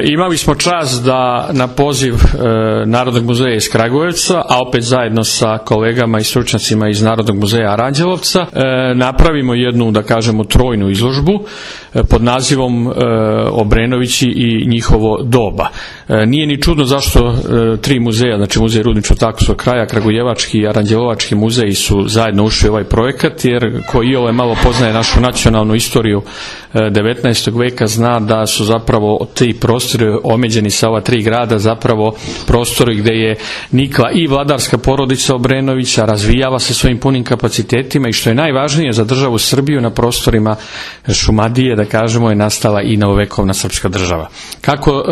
Imali smo čast da na poziv Narodnog muzeja iz Kragujevca, a opet zajedno sa kolegama i stručnjacima iz Narodnog muzeja Aranđelovca, napravimo jednu, da kažemo, trojnu izložbu pod nazivom Obrenovići i njihovo doba. Nije ni čudno zašto tri muzeja, znači Muzej Rudničko-Takovskog kraja, Kragujevački i Aranđelovački muzeji su zajedno ušli u ovaj projekat, jer ko iole malo poznaje našu nacionalnu istoriju 19. veka zna da su zapravo ti prostori omeđeni sa ova tri grada zapravo prostori gdje je nikla i vladarska porodica Obrenovića, razvijala se svojim punim kapacitetima i što je najvažnije za državu Srbiju na prostorima Šumadije, da kažemo, je nastala i novovekovna srpska država. Kako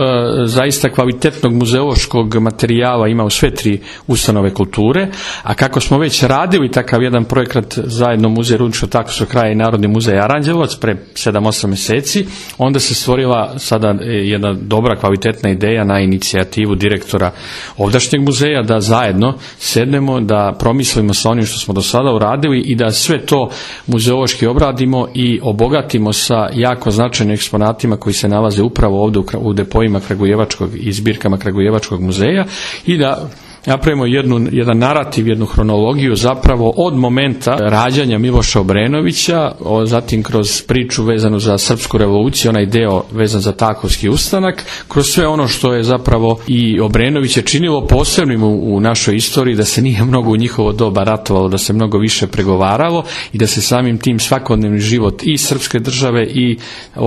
zaista kvalitetnog muzeološkog materijala ima u sve tri ustanove kulture, a kako smo već radili takav jedan projekat zajedno Muzej Rudničko-Takovskog kraja i Narodni muzej Aranđelovac pre 7-8 mjeseci, onda se stvorila sada jedna dobra kvalitetna ideja na inicijativu direktora ovdašnjeg muzeja da zajedno sednemo, da promislimo sa onim što smo do sada uradili i da sve to muzeološki obradimo i obogatimo sa jako značajnim eksponatima koji se nalaze upravo ovdje u depoima Kragujevačkog i zbirkama Kragujevačkog muzeja i da napravimo jedan narativ, jednu hronologiju zapravo od momenta rađanja Miloša Obrenovića, zatim kroz priču vezanu za srpsku revoluciju, onaj deo vezan za Takovski ustanak, kroz sve ono što je zapravo i Obrenoviće činilo posebnim u našoj istoriji, da se nije mnogo u njihovo doba ratovalo, da se mnogo više pregovaralo i da se samim tim svakodnevni život i srpske države i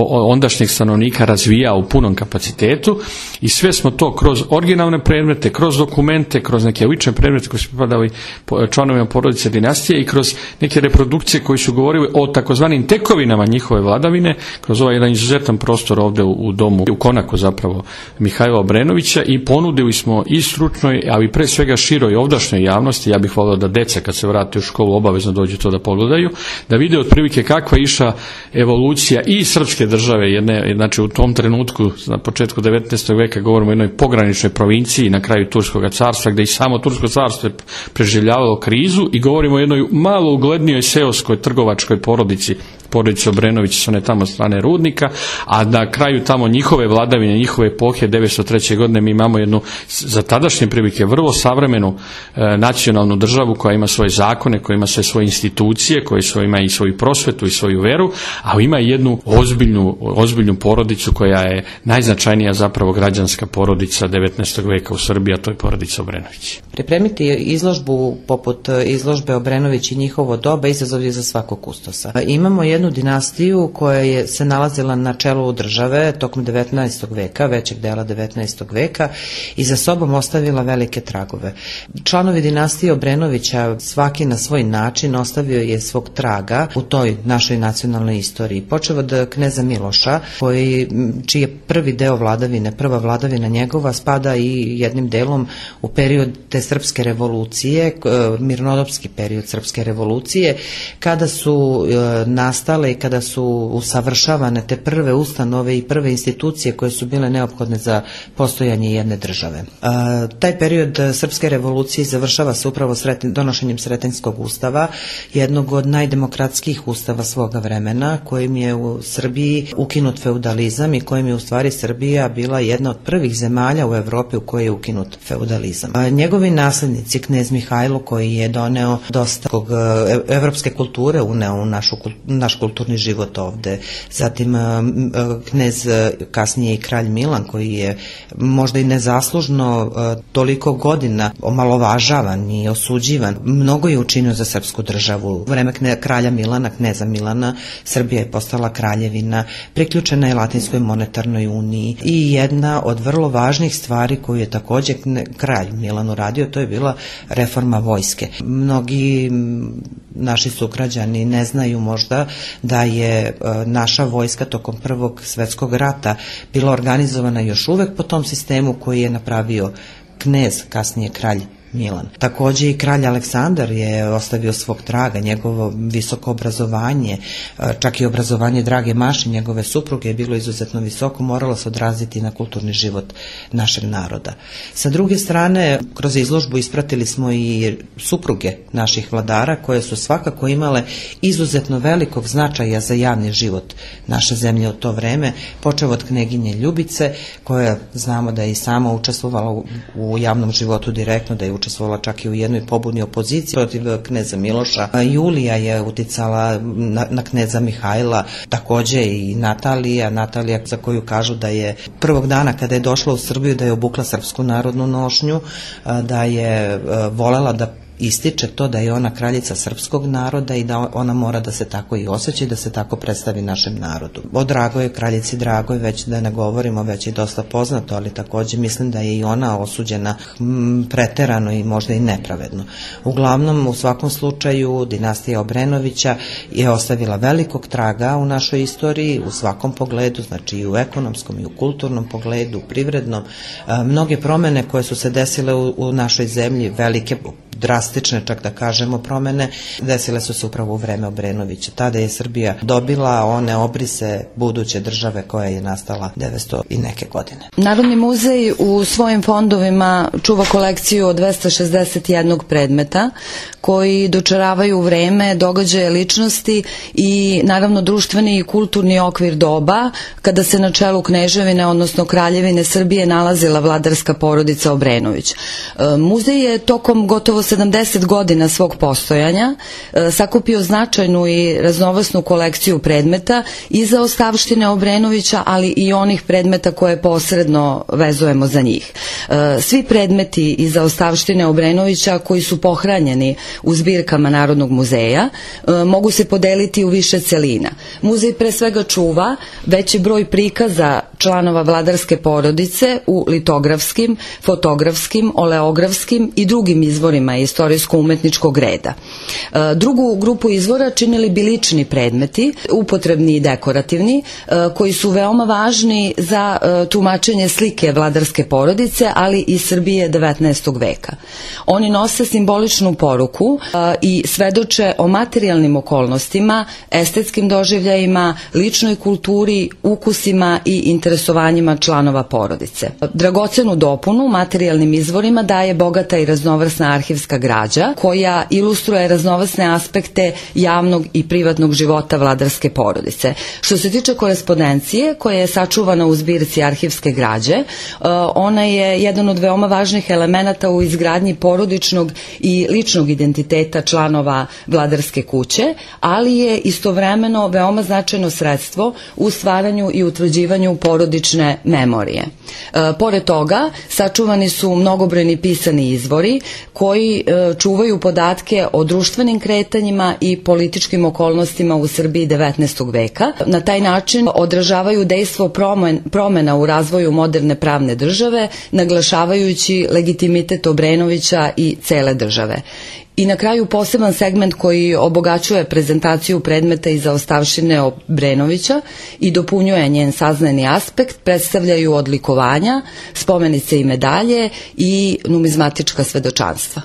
ondašnjeg stanovnika razvijao u punom kapacitetu i sve smo to kroz originalne predmete, kroz dokumente, kroz neke lične predmete koji su pripadali članovima porodice dinastije i kroz neke reprodukcije koji su govorili o takozvanim tekovinama njihove vladavine, kroz ovaj jedan izuzetan prostor ovdje u domu, u konaku zapravo Mihajla Obrenovića, i ponudili smo i stručnoj, ali pre svega široj ovdašnjoj javnosti, ja bih volio da deca kad se vrate u školu obavezno dođu to da pogledaju, da vide otprilike kakva je išla evolucija i srpske države, znači u tom trenutku na početku 19. veka govorimo o jednoj pograničnoj provinciji na kraju Turskog carstva, gdje i samo Tursko carstvo je preživljavalo krizu, i govorimo o jednoj malo uglednijoj seoskoj trgovačkoj porodici Obrenović s one tamo strane Rudnika, a na kraju tamo njihove vladavine, njihove epohe 903. godine mi imamo jednu za tadašnje prilike vrlo savremenu nacionalnu državu koja ima svoje zakone, koja ima sve svoje institucije, koja ima i svoju prosvetu i svoju veru, a ima i jednu ozbiljnu porodicu koja je najznačajnija zapravo građanska porodica 19. veka u Srbiji, a to je porodica Obrenović. Pripremiti izložbu poput izložbe Obrenović i njihovo doba izazov je za svakog kustosa. Imamo jednu dinastiju koja se nalazila na čelu države tokom 19. veka, većeg dela 19. veka, i za sobom ostavila velike tragove. Članovi dinastije Obrenovića svaki na svoj način ostavio je svog traga u toj našoj nacionalnoj istoriji. Počeo od kneza Miloša, čiji je prvi deo vladavine, prva vladavina njegova spada i jednim delom u period te srpske revolucije, mirnodopski period srpske revolucije, kada su nastale i kada su usavršavane te prve ustanove i prve institucije koje su bile neophodne za postojanje jedne države. Taj period srpske revolucije završava se upravo donošenjem Sretenjskog ustava, jednog od najdemokratskijih ustava svoga vremena, kojim je u Srbiji ukinut feudalizam i kojim je u stvari Srbija bila jedna od prvih zemalja u Evropi u kojoj je ukinut feudalizam. Njegovi naslednici, knez Mihajlo, koji je doneo dosta evropske kulture, uneo u naš kulturni život ovde. Zatim knez, kasnije i kralj Milan, koji je možda i nezaslužno toliko godina omalovažavan i osuđivan, mnogo je učinio za srpsku državu. U vreme kralja Milana, kneza Milana, Srbija je postala kraljevina, priključena je Latinskoj monetarnoj uniji, i jedna od vrlo važnih stvari koju je također kralj Milan uradio, to je bila reforma vojske. Mnogi naši sugrađani ne znaju možda da je naša vojska tokom Prvog svjetskog rata bila organizovana još uvek po tom sistemu koji je napravio knez, kasnije kralj Milan. Takođe i kralj Aleksandar je ostavio svog traga, njegovo visoko obrazovanje, čak i obrazovanje drage Maše, njegove supruge, je bilo izuzetno visoko, moralo se odraziti na kulturni život našeg naroda. Sa druge strane, kroz izložbu ispratili smo i supruge naših vladara, koje su svakako imale izuzetno velikog značaja za javni život naše zemlje u to vreme, počev od kneginje Ljubice, koja znamo da je i sama učestvovala u javnom životu direktno, da je učestvovala čak i u jednoj pobuni opoziciji protiv kneza Miloša. Julija je uticala na kneza Mihajla, takođe i Natalija za koju kažu da je prvog dana kada je došla u Srbiju da je obukla srpsku narodnu nošnju, da je volela da ističe to da je ona kraljica srpskog naroda i da ona mora da se tako i osjeća i da se tako predstavi našem narodu. O Dragoj, kraljici Dragoj, već da ne govorimo, već je dosta poznato, ali takođe mislim da je i ona osuđena preterano i možda i nepravedno. Uglavnom, u svakom slučaju, dinastija Obrenovića je ostavila velikog traga u našoj istoriji, u svakom pogledu, znači i u ekonomskom i u kulturnom pogledu, privrednom. Mnoge promene koje su se desile u našoj zemlji, velike, drastične, čak da kažemo, promene, desile su se upravo u vreme Obrenovića. Tada je Srbija dobila one obrise buduće države koja je nastala 900 i neke godine. Narodni muzej u svojim fondovima čuva kolekciju od 261 predmeta koji dočaravaju vreme, događaje, ličnosti i naravno društveni i kulturni okvir doba kada se na čelu kneževine, odnosno kraljevine Srbije nalazila vladarska porodica Obrenović. Muzej je tokom gotovo 70 godina svog postojanja sakupio značajnu i raznovrsnu kolekciju predmeta i za ostavštine Obrenovića, ali i onih predmeta koje posredno vezujemo za njih. Svi predmeti i za ostavštine Obrenovića koji su pohranjeni u zbirkama Narodnog muzeja mogu se podeliti u više celina. Muzej pre svega čuva veći broj prikaza članova vladarske porodice u litografskim, fotografskim, oleografskim i drugim izvorima istorijsko-umetničkog reda. Drugu grupu izvora činili bi lični predmeti, upotrebni i dekorativni, koji su veoma važni za tumačenje slike vladarske porodice, ali i Srbije 19. veka. Oni nose simboličnu poruku i svedoče o materijalnim okolnostima, estetskim doživljajima, ličnoj kulturi, ukusima i interesovanjima članova porodice. Dragocenu dopunu materijalnim izvorima daje bogata i raznovrsna arhivska građa koja ilustruje raznovrsne aspekte javnog i privatnog života vladarske porodice. Što se tiče korespondencije koja je sačuvana u zbirci arhivske građe, ona je jedan od veoma važnih elemenata u izgradnji porodičnog i ličnog identiteta članova vladarske kuće, ali je istovremeno veoma značajno sredstvo u stvaranju i utvrđivanju porodične memorije. Pored toga, sačuvani su mnogobrojni pisani izvori koji čuvaju podatke o društvenim kretanjima i političkim okolnostima u Srbiji 19. veka. Na taj način odražavaju dejstvo promena u razvoju moderne pravne države, naglašavajući legitimitet Obrenovića i cele države. I na kraju poseban segment koji obogaćuje prezentaciju predmeta i zaostavštine Obrenovića i dopunjuje njen saznajni aspekt predstavljaju odlikovanja, spomenice i medalje i numizmatička svedočanstva.